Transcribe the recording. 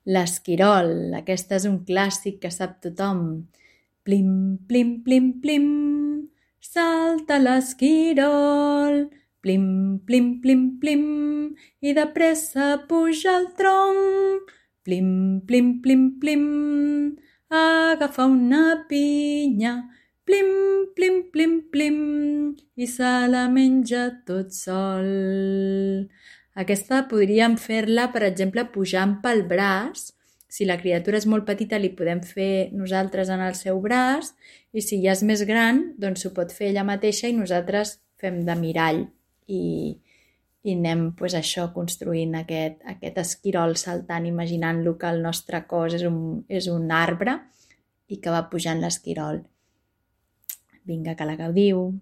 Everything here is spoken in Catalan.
L'esquirol, aquesta és un clàssic que sap tothom. Plim, plim, plim, plim, salta l'esquirol. Plim, plim, plim, plim, i de pressa puja al tronc. Plim, plim, plim, plim, agafa una pinya. Plim, plim, plim, plim, i se la menja tot sol. Aquesta podríem fer-la, per exemple, pujant pel braç. Si la criatura és molt petita, li podem fer nosaltres en el seu braç, i si ja és més gran, doncs s'ho pot fer ella mateixa i nosaltres fem de mirall i anem això construint aquest esquirol saltant, imaginant-lo que el nostre cos és un arbre i que va pujant l'esquirol. Vinga, que la gaudiu!